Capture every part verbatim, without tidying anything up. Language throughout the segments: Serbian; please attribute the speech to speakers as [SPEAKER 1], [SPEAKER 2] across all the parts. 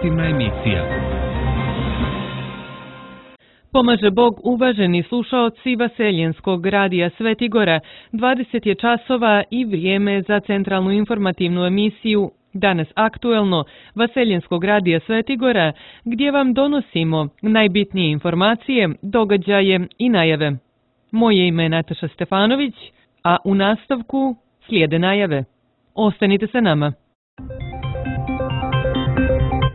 [SPEAKER 1] informativna emisija.
[SPEAKER 2] Pomaže Bog, uvaženi slušaoci Vaseljenskog radija Svetigora, dvadeset je časova i vrijeme za centralnu informativnu emisiju Danas aktuelno Vaseljenskog radija Svetigora, gdje vam donosimo najbitnije informacije, događaje i najave. Moje ime je Nataša Stefanović, a u nastavku slijede najave. Ostanite sa nama.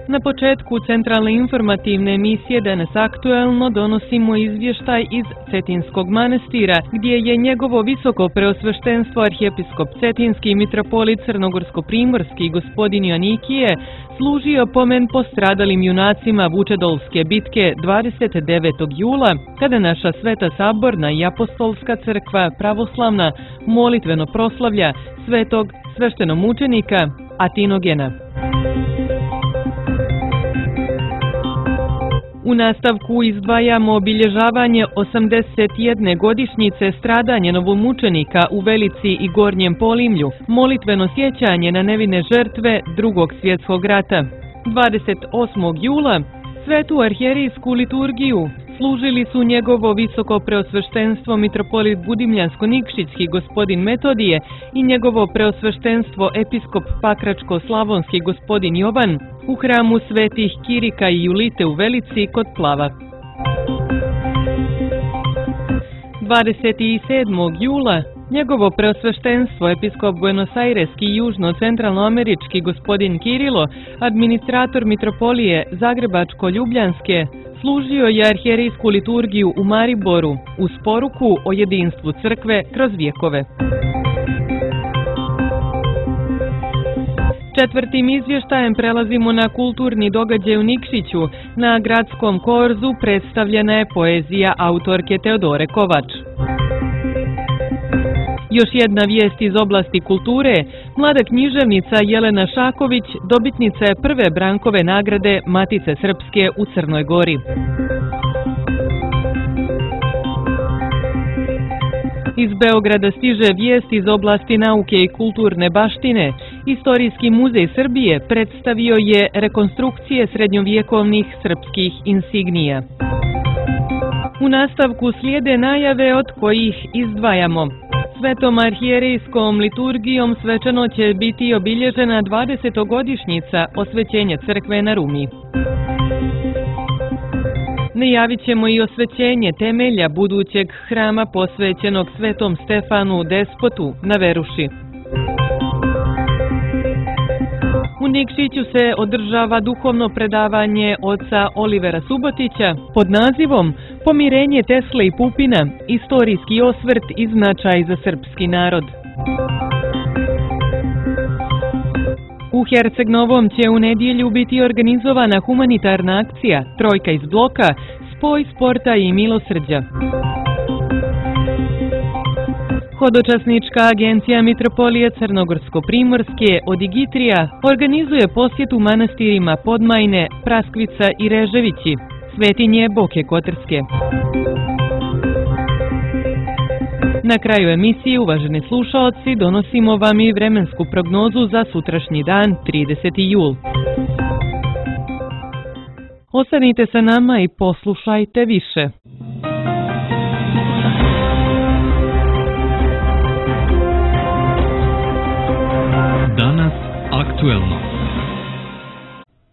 [SPEAKER 2] Na početku centralne informativne emisije Danas aktuelno donosimo izvještaj iz Cetinskog manastira, gdje je njegovo visoko preosveštenstvo arhijepiskop Cetinski mitropolit Crnogorsko-primorski gospodin Joanikije služio pomen postradalim junacima Vučedolske bitke dvadeset devetog jula, kada naša Sveta Saborna i Apostolska crkva pravoslavna molitveno proslavlja svetog sveštenomučenika Atinogena. U nastavku izdvajamo obilježavanje osamdeset jedne godišnjice stradanja novomučenika u Velici i Gornjem Polimlju, molitveno sjećanje na nevine žrtve Drugog svjetskog rata. dvadeset osmog jula svetu arhijerijsku liturgiju služili su njegovo visoko preosveštenstvo mitropolit Budimljansko-Nikšićki gospodin Metodije i njegovo preosveštenstvo episkop Pakračko-Slavonski gospodin Jovan u hramu svetih Kirika i Julite u Velici kod Plava. dvadeset sedmog jula njegovo preosveštenstvo episkop Buenos-Aireski i južno-centralnoamerički gospodin Kirilo, administrator mitropolije Zagrebačko-Ljubljanske, služio je arhijerijsku liturgiju u Mariboru uz poruku o jedinstvu crkve kroz vjekove. Četvrtim izvještajem prelazimo na kulturni događaj u Nikšiću. Na gradskom korzu predstavljena je poezija autorke Teodore Kovač. Još jedna vijest iz oblasti kulture, mlada književnica Jelena Šaković dobitnica je prve Brankove nagrade Matice Srpske u Crnoj Gori. Iz Beograda stiže vijest iz oblasti nauke i kulturne baštine. Istorijski muzej Srbije predstavio je rekonstrukcije srednjovjekovnih srpskih insignija. U nastavku slijede najave od kojih izdvajamo. Svetom arhijerijskom liturgijom svečano će biti obilježena dvadesetogodišnjica osvećenja crkve na Rumi. Najavit ćemo i osvećenje temelja budućeg hrama posvećenog Svetom Stefanu Despotu na Veruši. U Nikšiću se održava duhovno predavanje oca Olivera Subotića pod nazivom Pomirenje Tesle i Pupina, istorijski osvrt i značaj za srpski narod. U Herceg Novom će u nedjelju biti organizovana humanitarna akcija Trojka iz bloka, spoj sporta i milosrđa. Hodočasnička agencija Mitropolije Crnogorsko-primorske Odigitrija organizuje posjetu manastirima Podmajne, Praskvica i Reževići, svetinje Boke Kotrske. Na kraju emisije, uvaženi slušaoci, donosimo vam i vremensku prognozu za sutrašnji dan, trideseti jul. Ostanite sa nama i poslušajte više.
[SPEAKER 1] Danas aktuelno.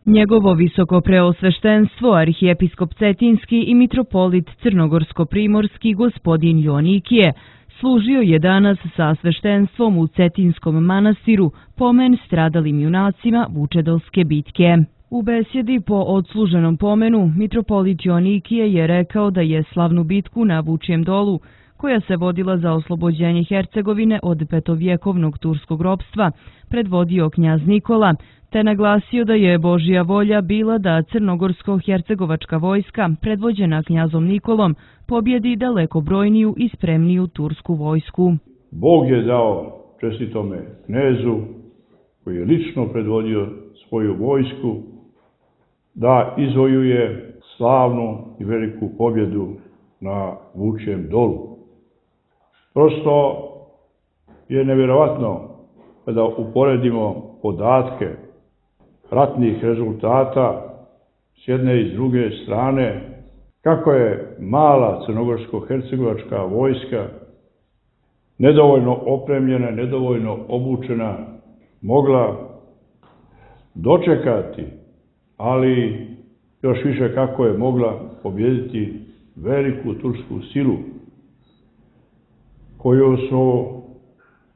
[SPEAKER 3] Njegovo visoko preosveštenstvo arhijepiskop Cetinski i mitropolit Crnogorsko-primorski gospodin Joanikije služio je danas sa sveštenstvom u Cetinskom manastiru pomen stradalim junacima Vučedolske bitke. U besjedi po odsluženom pomenu mitropolit Joanikije je rekao da je slavnu bitku na Vučjem dolu, koja se vodila za oslobođenje Hercegovine od petovjekovnog turskog ropstva, predvodio knjaz Nikola, te naglasio da je Božja volja bila da crnogorsko-hercegovačka vojska, predvođena knjazom Nikolom, pobjedi daleko brojniju i spremniju tursku vojsku.
[SPEAKER 4] Bog je dao čestitome knezu, koji je lično predvodio svoju vojsku, da izvojuje slavnu i veliku pobjedu na Vučjem dolu. Prosto je nevjerovatno kada uporedimo podatke ratnih rezultata s jedne i s druge strane, kako je mala crnogorsko-hercegovačka vojska, nedovoljno opremljena, nedovoljno obučena, mogla dočekati, ali još više kako je mogla pobijediti veliku tursku silu koju su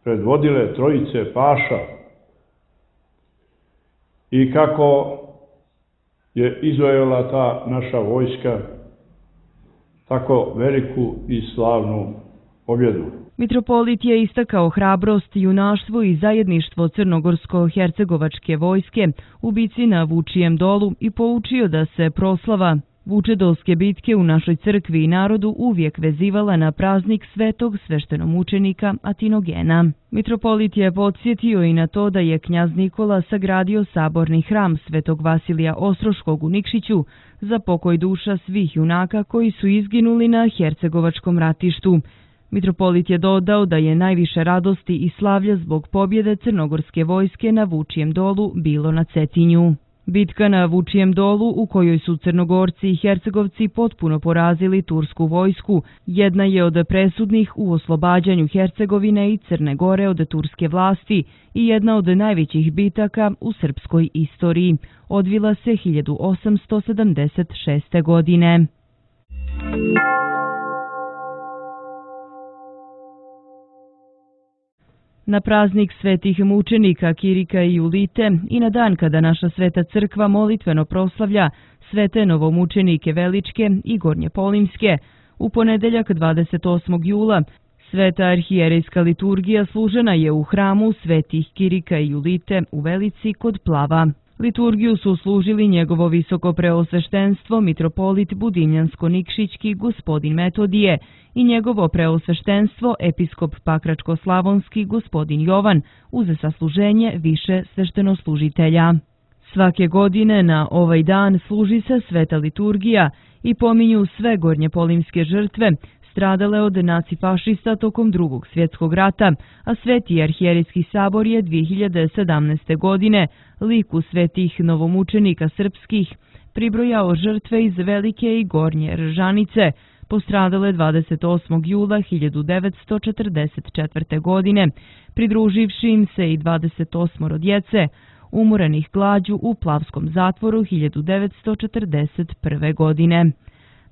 [SPEAKER 4] predvodile trojice paša i kako je izvojala ta naša vojska tako veliku i slavnu pobjedu.
[SPEAKER 3] Mitropolit je istakao hrabrost, junaštvo i zajedništvo crnogorsko-hercegovačke vojske u bici na Vučijem dolu i poučio da se proslava Vučedolske bitke u našoj crkvi i narodu uvijek vezivala na praznik svetog sveštenomučenika Atinogena. Mitropolit je podsjetio i na to da je knjaz Nikola sagradio saborni hram svetog Vasilija Ostroškog u Nikšiću za pokoj duša svih junaka koji su izginuli na hercegovačkom ratištu. Mitropolit je dodao da je najviše radosti i slavlja zbog pobjede crnogorske vojske na Vučijem dolu bilo na Cetinju. Bitka na Vučijem dolu, u kojoj su Crnogorci i Hercegovci potpuno porazili tursku vojsku, jedna je od presudnih u oslobađanju Hercegovine i Crne Gore od turske vlasti i jedna od najvećih bitaka u srpskoj istoriji. Odvila se hiljadu osamsto sedamdeset šeste. godine. Na praznik svetih mučenika Kirika i Julite i na dan kada naša sveta crkva molitveno proslavlja svete novomučenike Veličke i Gornje Polimske, u ponedeljak dvadeset osmog jula sveta arhijerejska liturgija služena je u hramu svetih Kirika i Julite u Velici kod Plava. Liturgiju su služili njegovo visoko preosveštenstvo mitropolit Budimljansko-Nikšićki gospodin Metodije i njegovo preosveštenstvo episkop Pakračko-Slavonski gospodin Jovan uz sasluženje više sveštenoslužitelja. Svake godine na ovaj dan služi se sveta liturgija i pominju sve gornjepolimske žrtve stradale od nacifašista tokom Drugog svjetskog rata, a Sveti arhijerejski sabor je dvije hiljade sedamnaeste. godine liku svetih novomučenika srpskih pribrojao žrtve iz Velike i Gornje Ržanice, postradale dvadeset osmog jula hiljadu devetsto četrdeset četvrte. godine, pridruživši im se i dvadeset osmoro djece, umorenih glađu u Plavskom zatvoru hiljadu devetsto četrdeset prve. godine.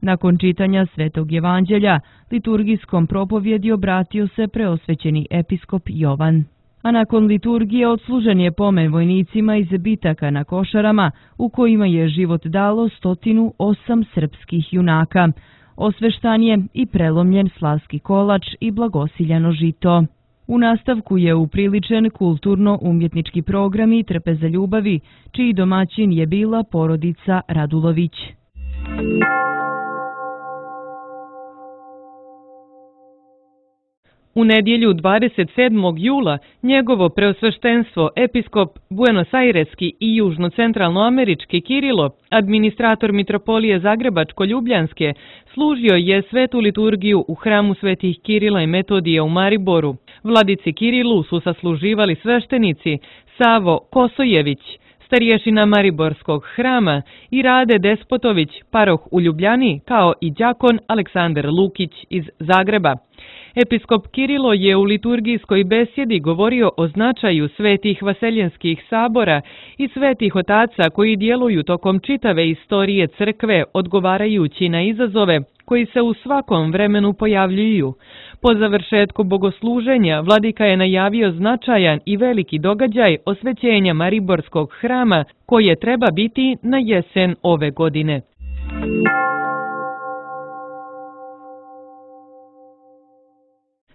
[SPEAKER 3] Nakon čitanja Svetog evanđelja, liturgijskom propovjedi obratio se preosvećeni episkop Jovan. A nakon liturgije odslužen je pomen vojnicima iz bitaka na Košarama, u kojima je život dalo stotinu osam srpskih junaka. Osveštan je i prelomljen slavski kolač i blagosiljano žito. U nastavku je upriličen kulturno-umjetnički program i Trpe za ljubavi, čiji domaćin je bila porodica Radulović.
[SPEAKER 2] U nedjelju dvadeset sedmog jula njegovo preosveštenstvo episkop Buenos-Aireski i južno-centralnoamerički Kirilo, administrator mitropolije Zagrebačko-Ljubljanske, služio je svetu liturgiju u hramu svetih Kirila i Metodija u Mariboru. Vladici Kirilu su sasluživali sveštenici Savo Kosojević, starješina Mariborskog hrama, i Rade Despotović, paroh u Ljubljani, kao i đakon Aleksandar Lukić iz Zagreba. Episkop Kirilo je u liturgijskoj besjedi govorio o značaju svetih vaseljenskih sabora i svetih otaca koji djeluju tokom čitave istorije crkve, odgovarajući na izazove koji se u svakom vremenu pojavljuju. Po završetku bogosluženja vladika je najavio značajan i veliki događaj osvećenja Mariborskog hrama koje treba biti na jesen ove godine.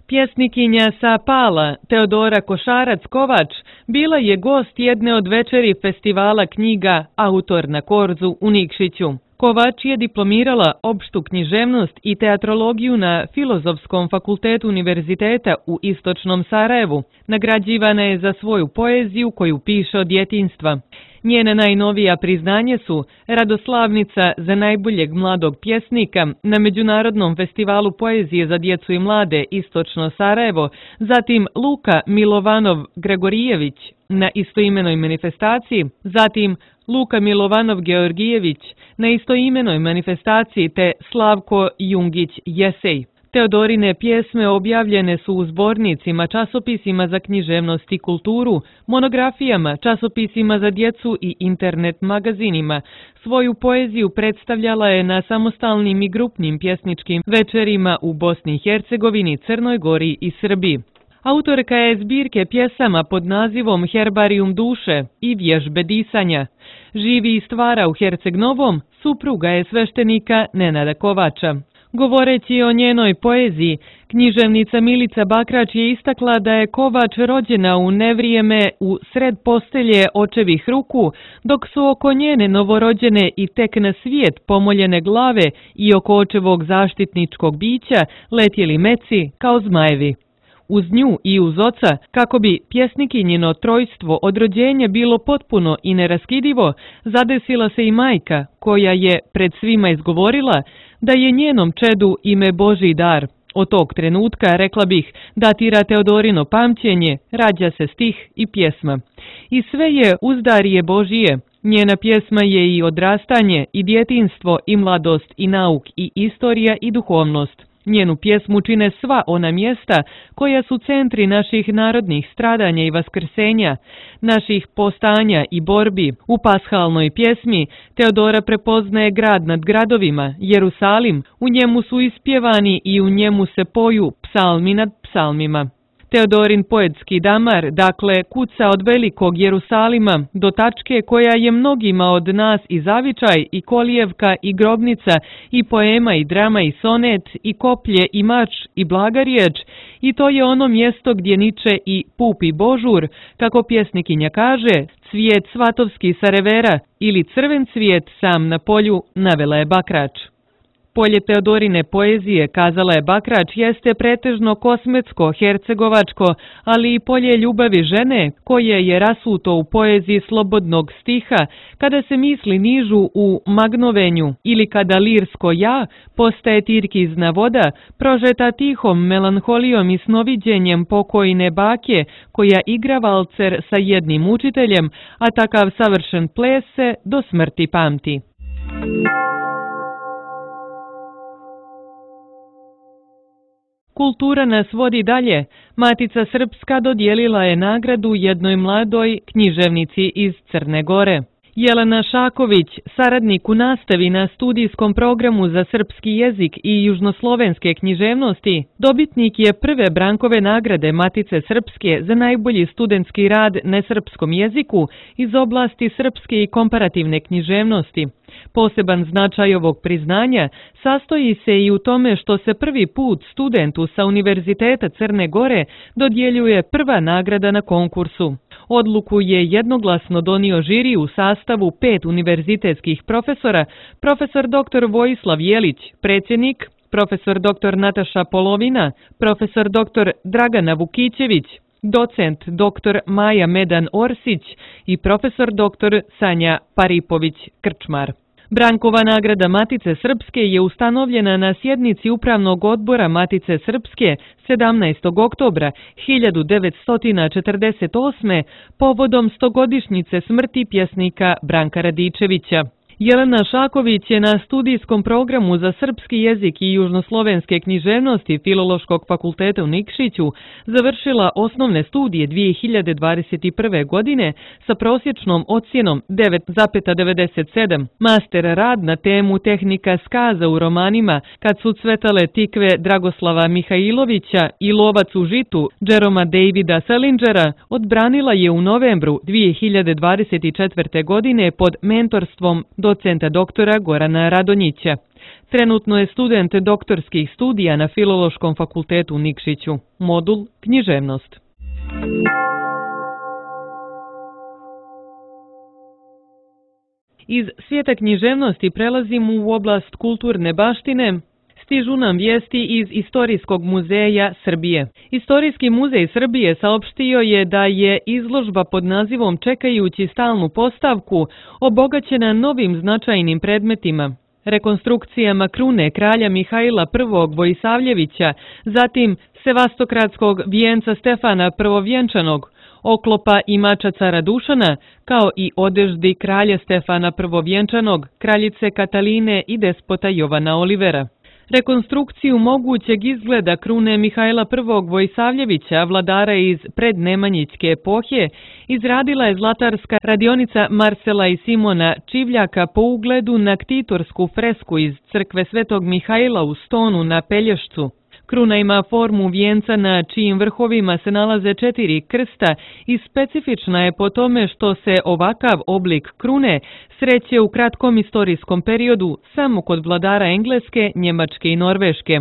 [SPEAKER 2] Pjesnikinja sa Pala, Teodora Košarac-Kovač, bila je gost jedne od večeri festivala knjiga Autor na Korzu u Nikšiću. Kovač je diplomirala opštu književnost i teatrologiju na Filozofskom fakultetu univerziteta u Istočnom Sarajevu. Nagrađivana je za svoju poeziju koju piše od djetinjstva. Njena najnovija priznanje su Radoslavnica za najboljeg mladog pjesnika na Međunarodnom festivalu poezije za djecu i mlade Istočno Sarajevo, zatim Luka Milovanov-Gregorijević na istoimenoj manifestaciji, zatim Luka Milovanov-Georgijević na istoimenoj manifestaciji te Slavko Jungić-Jesej. Teodorine pjesme objavljene su u zbornicima, časopisima za književnost i kulturu, monografijama, časopisima za djecu i internet magazinima. Svoju poeziju predstavljala je na samostalnim i grupnim pjesničkim večerima u Bosni i Hercegovini, Crnoj Gori i Srbiji. Autorka je zbirke pjesama pod nazivom Herbarium duše i vježbe disanja. Živi i stvara u Herceg Novom, supruga je sveštenika Nenada Kovača. Govoreći o njenoj poeziji, književnica Milica Bakrač je istakla da je Kovač rođena u nevrijeme u sred postelje očevih ruku, dok su oko njene novorođene i tek na svijet pomoljene glave i oko očevog zaštitničkog bića letjeli meci kao zmajevi. Uz nju i uz oca, kako bi pjesnikinjino trojstvo od rođenja bilo potpuno i neraskidivo, zadesila se i majka, koja je pred svima izgovorila da je njenom čedu ime Božji dar. Od tog trenutka, rekla bih, datira Teodorino pamćenje, rađa se stih i pjesma. I sve je uzdarije Božije. Njena pjesma je i odrastanje, i djetinstvo, i mladost, i nauk, i istorija, i duhovnost. Njenu pjesmu čine sva ona mjesta koja su centri naših narodnih stradanja i vaskrsenja, naših postanja i borbi. U pashalnoj pjesmi Teodora prepoznaje grad nad gradovima, Jerusalim, u njemu su ispjevani i u njemu se poju psalmi nad psalmima. Teodorin poetski damar, dakle, kuca od velikog Jerusalima do tačke koja je mnogima od nas i zavičaj, i kolijevka, i grobnica, i poema, i drama, i sonet, i koplje, i mač, i blaga riječ, i to je ono mjesto gdje niče i pupi Božur, kako pjesnikinja kaže, cvijet svatovski sa revera ili crven cvijet sam na polju, navela je Bakrač. Polje Teodorine poezije, kazala je Bakrač, jeste pretežno kosmetsko, hercegovačko, ali i polje ljubavi žene, koje je rasuto u poeziji slobodnog stiha, kada se misli nižu u magnovenju ili kada lirsko ja postaje tirkizna voda, prožeta tihom melanholijom i snoviđenjem pokojne bake, koja igra valcer sa jednim učiteljem, a takav savršen ples se do smrti pamti. Kultura nas vodi dalje. Matica Srpska dodijelila je nagradu jednoj mladoj književnici iz Crne Gore. Jelena Šaković, saradnik u nastavi na studijskom programu za srpski jezik i južnoslovenske književnosti, dobitnik je prve Brankove nagrade Matice Srpske za najbolji studentski rad na srpskom jeziku iz oblasti srpske i komparativne književnosti. Poseban značaj ovog priznanja sastoji se i u tome što se prvi put studentu sa Univerziteta Crne Gore dodjeljuje prva nagrada na konkursu. Odluku je jednoglasno donio žiri u sastavu pet univerzitetskih profesora, profesor doktor Vojislav Jelić, predsjednik, profesor doktor Nataša Polovina, profesor doktor Dragana Vukićević, docent doktor Maja Medan Orsić i profesor doktor Sanja Paripović-Krčmar. Brankova nagrada Matice Srpske je ustanovljena na sjednici Upravnog odbora Matice Srpske sedamnaestog oktobra hiljadu devetsto četrdeset osme povodom stogodišnjice smrti pjesnika Branka Radičevića. Jelena Šaković je na studijskom programu za srpski jezik i južnoslovenske književnosti Filološkog fakulteta u Nikšiću završila osnovne studije dvije hiljade dvadeset prve. godine sa prosječnom ocjenom devet zarez devedeset sedam. Master rad na temu tehnika skaza u romanima Kad su cvetale tikve Dragoslava Mihajlovića i Lovac u žitu Jeroma Davida Salingera odbranila je u novembru dvije hiljade dvadeset četvrte. godine pod mentorstvom docenta doktora Gorana Radonjića. Trenutno je student doktorskih studija na Filološkom fakultetu u Nikšiću. Modul književnost. Iz svijeta književnosti prelazimo u oblast kulturne baštine. Stižu nam vijesti iz Istorijskog muzeja Srbije. Istorijski muzej Srbije saopštio je da je izložba pod nazivom Čekajući stalnu postavku obogaćena novim značajnim predmetima, rekonstrukcijama krune kralja Mihajla prvog. Vojsavljevića, zatim sevastokratskog vijenca Stefana Prvovjenčanog, oklopa i mača cara Dušana, kao i odeždi kralja Stefana Prvovjenčanog, kraljice Kataline i despota Jovana Olivera. Rekonstrukciju mogućeg izgleda krune Mihajla prvog. Vojsavljevića, vladara iz prednemanjićke epohe, izradila je zlatarska radionica Marcela i Simona Čivljaka po ugledu na ktitorsku fresku iz crkve Svetog Mihajla u Stonu na Pelješcu. Kruna ima formu vijenca na čijim vrhovima se nalaze četiri krsta i specifična je po tome što se ovakav oblik krune sreće u kratkom istorijskom periodu samo kod vladara Engleske, Njemačke i Norveške.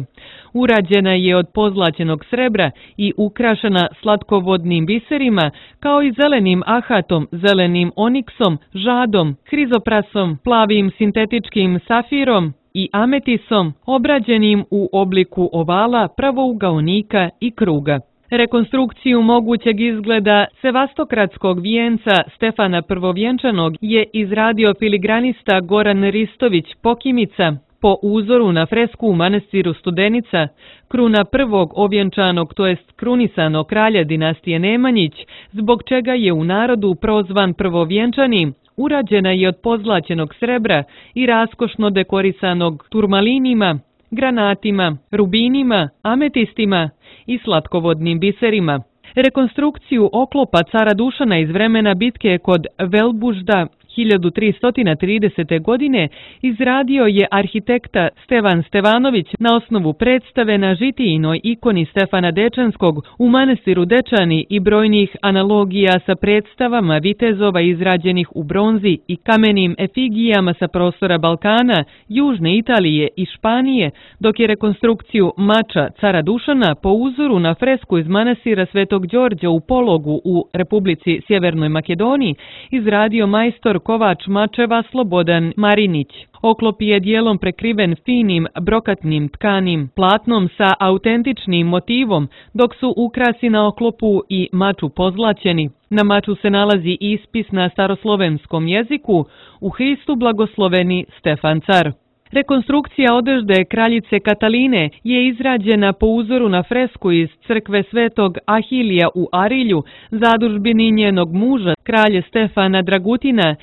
[SPEAKER 2] Urađena je od pozlaćenog srebra i ukrašena slatkovodnim biserima, kao i zelenim ahatom, zelenim oniksom, žadom, hrizoprasom, plavim sintetičkim safirom i ametisom, obrađenim u obliku ovala, pravougaonika i kruga. Rekonstrukciju mogućeg izgleda sevastokratskog vijenca Stefana Prvovjenčanog je izradio filigranista Goran Ristović Pokimica po uzoru na fresku u manastiru Studenica. Kruna prvog ovjenčanog, to jest krunisanog kralja dinastije Nemanjić, zbog čega je u narodu prozvan Prvovjenčani, urađena je od pozlaćenog srebra i raskošno dekorisanog turmalinima, granatima, rubinima, ametistima i slatkovodnim biserima. Rekonstrukciju oklopa cara Dušana iz vremena bitke kod Velbužda hiljadu tristo tridesete. godine izradio je arhitekta Stevan Stevanović na osnovu predstave na žitijinoj ikoni Stefana Dečanskog u manastiru Dečani i brojnih analogija sa predstavama vitezova izrađenih u bronzi i kamenim efigijama sa prostora Balkana, Južne Italije i Španije, dok je rekonstrukciju mača cara Dušana po uzoru na fresku iz manastira Svetog Đorđa u Pologu u Republici Sjevernoj Makedoniji izradio majstor kovač mačeva Slobodan Marinić. Oklop je dijelom prekriven finim brokatnim tkanim platnom sa autentičnim motivom, dok su ukrasi na oklopu i maču pozlaćeni. Na maču se nalazi ispis na staroslovenskom jeziku U Hristu blagosloveni Stefan car. Rekonstrukcija odežde kraljice Kataline je izrađena po uzoru na fresku iz crkve Svetog Ahilija u Arilju, zadužbini njenog muža, kralje Stefana Dragutina.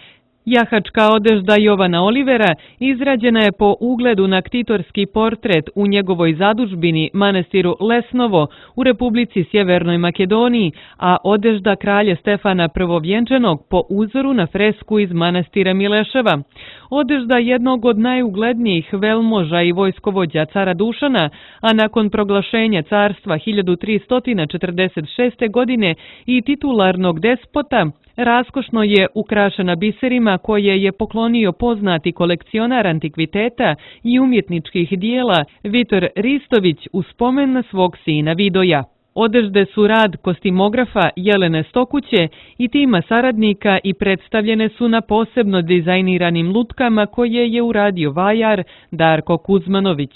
[SPEAKER 2] Jahačka odežda Jovana Olivera izrađena je po ugledu na ktitorski portret u njegovoj zadužbini manastiru Lesnovo u Republici Sjevernoj Makedoniji, a odežda kralja Stefana Prvovjenčanog po uzoru na fresku iz manastira Mileševa. Odežda jednog od najuglednijih velmoža i vojskovođa cara Dušana, a nakon proglašenja carstva hiljadu tristo četrdeset šeste. godine i titularnog despota, raskošno je ukrašena biserima koje je poklonio poznati kolekcionar antikviteta i umjetničkih dijela Vitor Ristović u spomen na svog sina Vidoja. Odežde su rad kostimografa Jelene Stokuće i tima saradnika i predstavljene su na posebno dizajniranim lutkama koje je uradio vajar Darko Kuzmanović.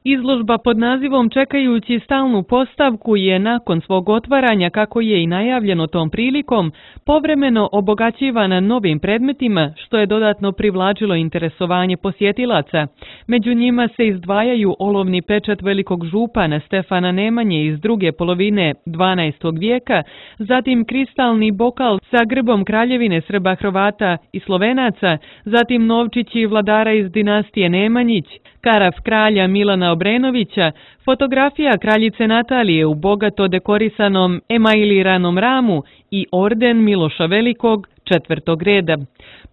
[SPEAKER 2] Izložba pod nazivom Čekajući stalnu postavku je nakon svog otvaranja, kako je i najavljeno tom prilikom, povremeno obogaćivana novim predmetima, što je dodatno privlačilo interesovanje posjetilaca. Među njima se izdvajaju olovni pečat velikog župana Stefana Nemanje iz druge polovine dvanaestog vijeka, zatim kristalni bokal sa grbom kraljevine Srba, Hrvata i Slovenaca, zatim novčići vladara iz dinastije Nemanjić, karaf kralja Milana Obrenovića, fotografija kraljice Natalije u bogato dekorisanom emailiranom ramu i orden Miloša Velikog četvrtog reda.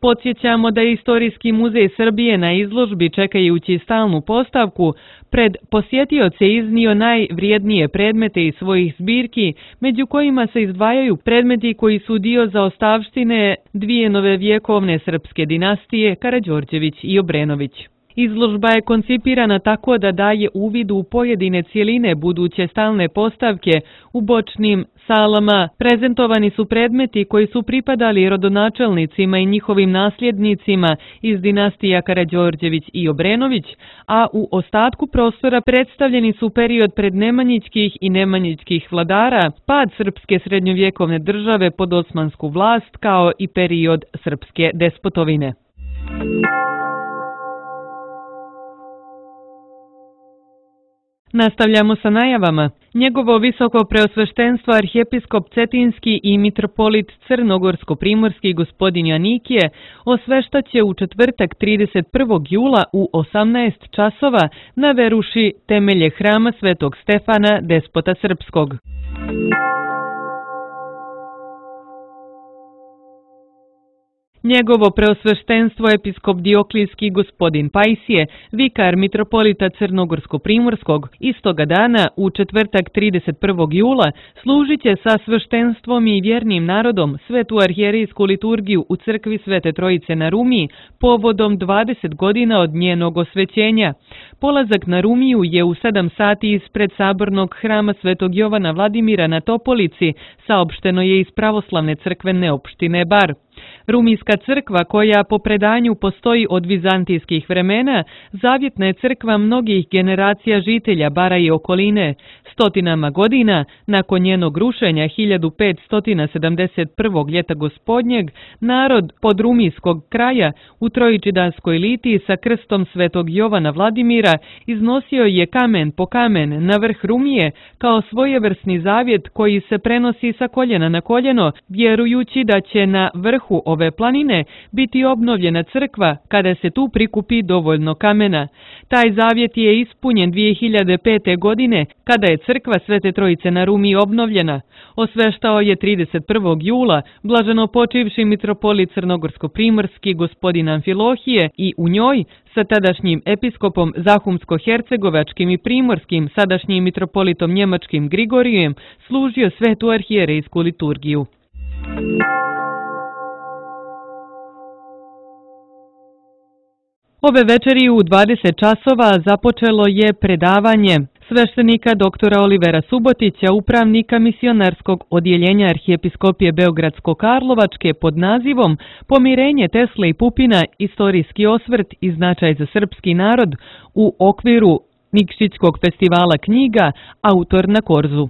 [SPEAKER 2] Podsjećamo da je Istorijski muzej Srbije na izložbi Čekajući stalnu postavku pred posjetioce iznio najvrijednije predmete iz svojih zbirki, među kojima se izdvajaju predmeti koji su dio zaostavštine dvije nove vjekovne srpske dinastije Karađorđević i Obrenović. Izložba je koncipirana tako da daje uvid u pojedine cijeline buduće stalne postavke u bočnim salama, prezentovani su predmeti koji su pripadali rodonačelnicima i njihovim nasljednicima iz dinastija Karađorđević i Obrenović, a u ostatku prostora predstavljeni su period prednemanjićkih i nemanjićkih vladara, pad srpske srednjovjekovne države pod osmansku vlast kao i period srpske despotovine. Nastavljamo sa najavama. Njegovo visoko preosveštenstvo arhijepiskop Cetinski i mitropolit Crnogorsko-primorski gospodin Janikije osveštaće u četvrtak trideset prvog jula u osamnaest časova na veruši temelje hrama Svetog Stefana, despota srpskog. Njegovo preosveštenstvo episkop Dioklijski gospodin Pajsije, vikar mitropolita Crnogorsko-primorskog, istoga dana u četvrtak trideset prvog jula služit će sa sveštenstvom i vjernim narodom svetu arhijerijsku liturgiju u crkvi Svete Trojice na Rumiji povodom dvadeset godina od njenog osvećenja. Polazak na Rumiju je u sedam sati ispred sabornog hrama Svetog Jovana Vladimira na Topolici, saopšteno je iz pravoslavne crkvene opštine Bar. Rumijska crkva, koja po predanju postoji od vizantijskih vremena, zavjetna je crkva mnogih generacija žitelja Bara i okoline. Stotinama godina, nakon njenog rušenja hiljadu petsto sedamdeset prvog ljeta gospodnjeg, narod pod rumijskog kraja u Trojičidanskoj litiji sa krstom Svetog Jovana Vladimira iznosio je kamen po kamen na vrh Rumije kao svojevrsni zavjet koji se prenosi sa koljena na koljeno, vjerujući da će na vrhu ove planine biti obnovljena crkva kada se tu prikupi dovoljno kamena. Taj zavjet je ispunjen dvije hiljade pete. godine kada je crkva Svete Trojice na Rumiji obnovljena. Osveštao je trideset prvog jula blaženo počivši mitropolit Crnogorsko-primorski gospodin Amfilohije i u njoj sa tadašnjim episkopom Zahumsko-hercegovačkim i primorskim sadašnjim mitropolitom njemačkim Grigorijem služio svetu arhijerejsku liturgiju. Ove večeri u dvadeset časova započelo je predavanje sveštenika doktora Olivera Subotića, upravnika misionarskog odjeljenja Arhijepiskopije Beogradsko-Karlovačke pod nazivom Pomirenje Tesle i Pupina, istorijski osvrt i značaj za srpski narod u okviru Nikšićkog festivala knjiga, autor na Korzu.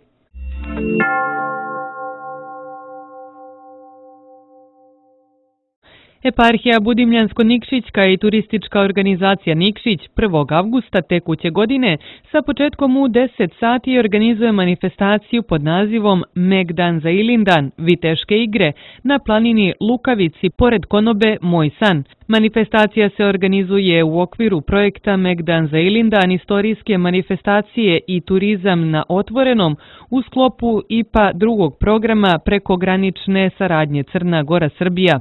[SPEAKER 2] Eparhija Budimljansko-Nikšićka i turistička organizacija Nikšić prvog avgusta tekuće godine sa početkom u deset sati organizuje manifestaciju pod nazivom Megdan za Ilindan, Viteške igre, na planini Lukavici pored konobe Moj san. Manifestacija se organizuje u okviru projekta Megdan za Ilindan, istorijske manifestacije i turizam na otvorenom u sklopu I P A drugog programa prekogranične saradnje Crna Gora-Srbija.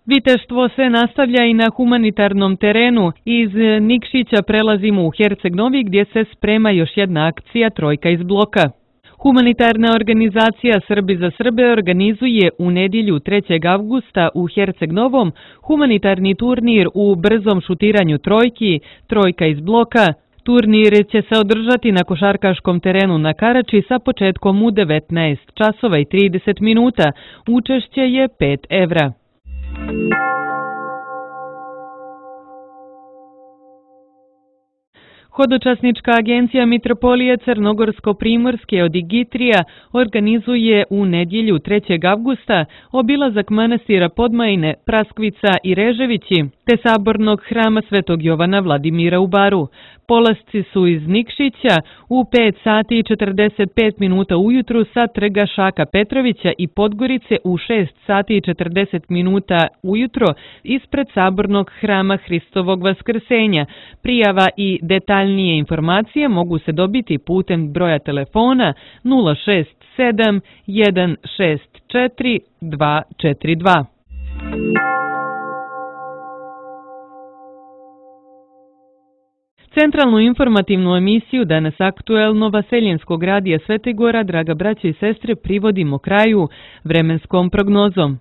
[SPEAKER 2] Viteštvo se nastavlja i na humanitarnom terenu. Iz Nikšića prelazimo u Herceg Novi gdje se sprema još jedna akcija Trojka iz bloka. Humanitarna organizacija Srbi za Srbe organizuje u nedjelju trećeg avgusta u Herceg Novom humanitarni turnir u brzom šutiranju trojki, Trojka iz bloka. Turnir će se održati na košarkaškom terenu na Karači sa početkom u devetnaest časova i trideset minuta. Učešće je pet evra. Hodočasnička agencija Mitropolije Crnogorsko-Primorske od Igitrija organizuje u nedjelju trećeg avgusta obilazak manastira Podmajne, Praskvica i Reževići, te sabornog hrama Svetog Jovana Vladimira u Baru. Polasci su iz Nikšića u pet sati i četrdeset pet minuta ujutru sa trga Šaka Petrovića i Podgorice u šest sati i četrdeset minuta ujutro ispred sabornog hrama Hristovog Vaskrsenja. Prijava i detaljnije informacije mogu se dobiti putem broja telefona nula šest sedam jedan šest četiri dva četiri dva. Centralnu informativnu emisiju Danas aktuelno Vaseljenskog radija Svete Gora, draga braća i sestre, privodimo kraju vremenskom prognozom.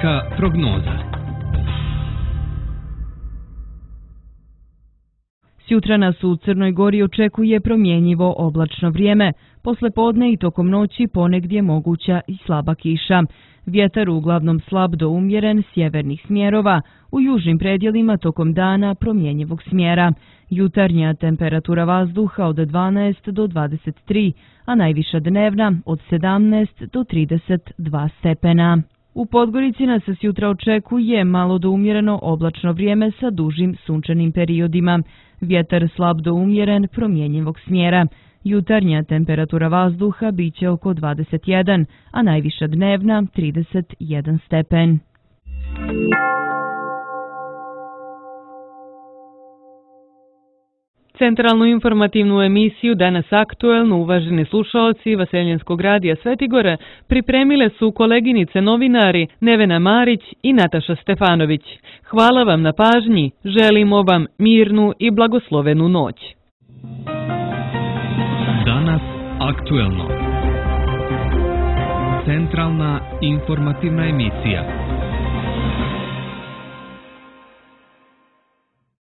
[SPEAKER 1] Vremenska prognoza.
[SPEAKER 3] Sjutra nas u Crnoj Gori očekuje promjenjivo oblačno vrijeme. Posle podne i tokom noći ponegdje moguća i slaba kiša. Vjetar uglavnom slab do umjeren sjevernih smjerova, u južnim predjelima tokom dana promjenjivog smjera. Jutarnja temperatura vazduha od dvanaest do dvadeset tri, a najviša dnevna od sedamnaest do trideset dva stepena. U Podgorici nas se sjutra očekuje malo do umjereno oblačno vrijeme sa dužim sunčanim periodima. Vjetar slab do umjeren promjenjivog smjera. Jutarnja temperatura vazduha biće oko dvadeset jedan, a najviša dnevna trideset jedan stepen.
[SPEAKER 2] Centralnu informativnu emisiju Danas aktuelno, uvaženi slušaoci Vaseljenskog radija Svetigora, pripremile su koleginice novinari Nevena Marić i Nataša Stefanović. Hvala vam na pažnji, želimo vam mirnu i blagoslovenu noć.
[SPEAKER 1] Danas aktuelno. Centralna informativna emisija.